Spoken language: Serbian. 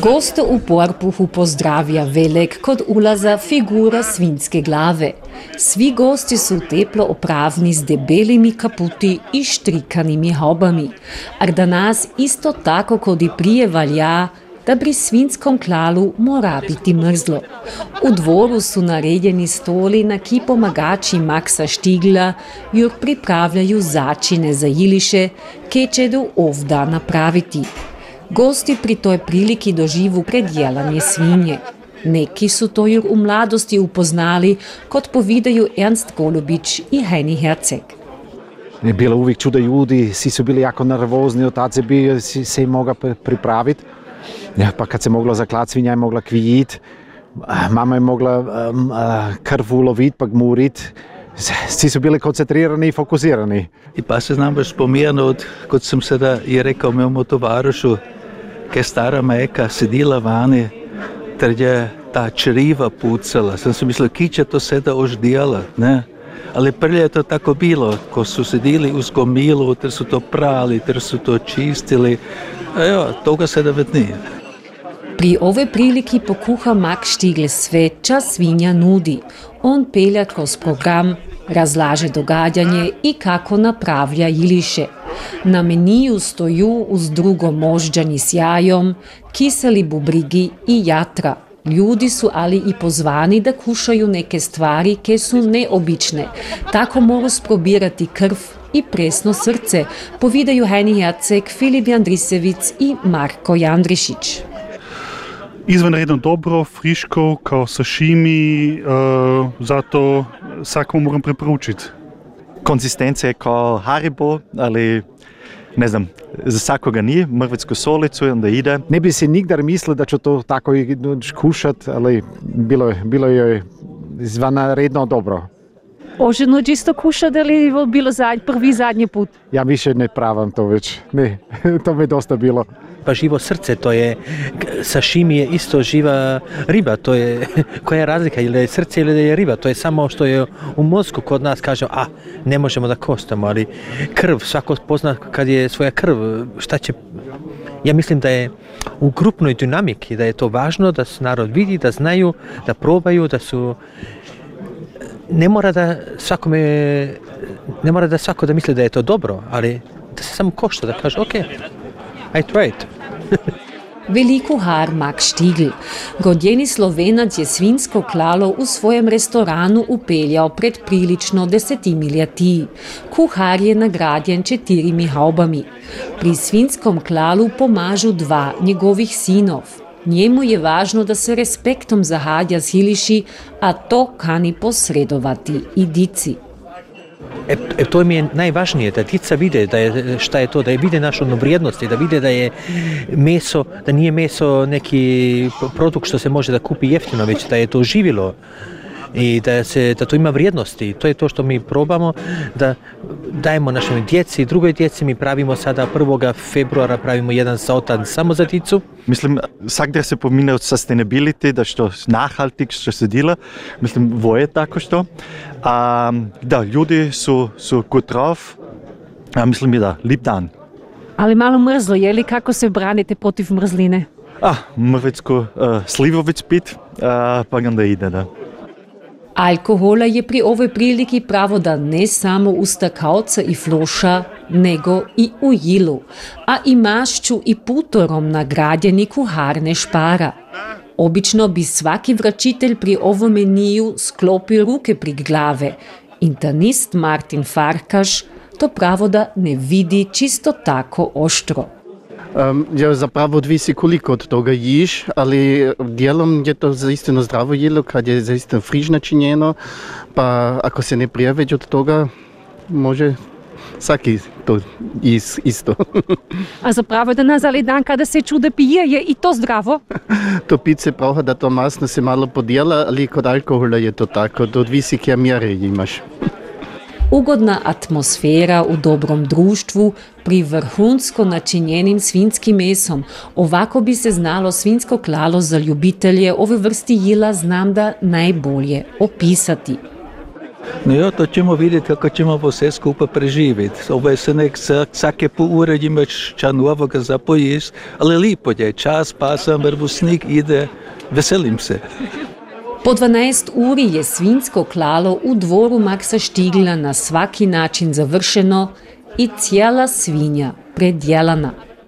Goste u Porpuhu pozdravlja velik kod ulaza figura svinjske glave. Svi gosti su teplo opravni s debelimi kaputi i štrikanimi haubami. Ar danas isto tako kod i prije valja, da pri svinjskom klalu mora biti mrzlo. U dvoru su naredjeni stoli, na ki pomagači Maxa Štigla jur pripravljaju začine za jiliše, ke čedu ovda napraviti. Gosti pri toj priliki doživu predjelanje svinje. Neki su to jur u mladosti upoznali, kot povedaju Ernst Golubić i Heini Herzeg. Je bilo uvijek čudo ljudi, svi su bili jako nervozni, otac je bio, se mogao pripraviti. Ja, pa kad se moglo zaklat, svinja je mogla kvijit, mama je mogla krv ulovit pa gmurit. Svi su bili koncentrirani i fokusirani. I pa se znam baš spomenuti, kot sem sada je rekao mojemu tovarišu, kaj stara majka sedila vani, ter je ta čriva pucala. Sam si mislil, ki će to sada už djela, ne? Ali prije je to tako bilo, ko su sedili uz gomilu, ter su to prali, ter su to čistili. Evo, toga sada već nije. Pri ove priliki pokuha Max Štigl sve, čas svinja nudi. On pelja kroz program, razlaže događanje i kako napravlja jiliše. Na meniju stoju uz drugo možđani s jajom, kiseli bubrigi i jatra. Ljudi su ali i pozvani da kušaju neke stvari, ke su neobične. Tako mogu sprobirati krv i presno srce, povedaju Heini Herzeg, Filip Jandrisevic i Marko Jandrišić. Izvanredno dobro, friško, kao sashimi, zato svakom moram preporučiti. Konzistencija je kao Haribo, ali ne znam, za svakoga nije, mrvetsku solicu i onda ide. Ne bi si nigdar mislil, da ću to tako kušat, ali bilo je izvanredno dobro. Oženo čisto kušat ali bilo prvi zadnji put? Ja više ne pravam to već, ne, to mi je dosta bilo. Pa živo srce, to je, sashimi je isto živa riba, to je, koja je razlika, ili je srce ili je riba, to je samo što je u mozgu kod nas kažemo, ne možemo da kostamo, ali krv, svako pozna kad je svoja krv, šta će, ja mislim da je u grupnoj dinamiki, da je to važno, da se narod vidi, da znaju, da probaju, da su, ne mora da svako da misli da je to dobro, ali da se samo košta, da kaže, ok, I tried. Veli kuhar Max Štigl. Godjeni Slovenac je svinjsko klalo u svojem restoranu upeljal pred prilično 10 ljeti. Kuhar je nagradjen 4 haubami. Pri svinjskom klalu pomažu 2 njegovih sinov. Njemu je važno da se respektom zahadja s jiliši, a to kani posredovati i dici. To mi je najvažnije, da djeca vide šta je to, da vide našu vrijednost, da vide da je meso, da nije meso neki produkt što se može da kupi jeftino, već da je to živilo i da to ima vrijednosti. To je to što mi probamo, da dajemo našoj djeci, drugoj djeci. Mi pravimo sada 1. februara pravimo jedan sautan samo za djecu. Mislim, svakdje se pomine od sustainability, da što nachhaltig što se dela. Mislim, voje tako što. Da, ljudi su good drauf. Mislim da, lip dan. Ali malo mrzlo, je li kako se branite protiv mrzline? Mrvecko slivovic pit, pa onda ide, da. Alkohola je pri ovoj priliki pravo da ne samo u stakavca i floša, nego i u jilu, a i mašću i putorom nagradjeni kuhar ne špara. Obično bi svaki vračitelj pri ovom meniju sklopio ruke pri glave. Internist Martin Farkaš to pravo da ne vidi čisto tako oštro. Ja, zapravo odvisi koliko od toga jiš, ali dijelom je to zaistino zdravo jelo kad je zaistino friž načinjeno, pa ako se ne prijaveđe od toga, može svaki to isto. A zapravo danas ali dan kada se čude pije, je i to zdravo? To pit se pravi, da to masno se malo podijela, ali kod alkohola je to tako, to odvisi kje mjere imaš. Ugodna atmosfera u dobrom društvu pri vrhunsko načinjenim svinjskim mesom. Ovako bi se znalo svinjsko klalo za ljubitelje ove vrsti jila znam da najbolje opisati. No jo, to ćemo vidjeti kako ćemo vse skupaj preživeti. Ovo je se vsake pol ure imaš ča novoga za pojesti, ali lipo je, čas pasa, mrvusnik ide, veselim se. Po 12 uri je svinjsko klalo v dvoru Maksa Štigla na svaki način završeno i cijela svinja predjelana.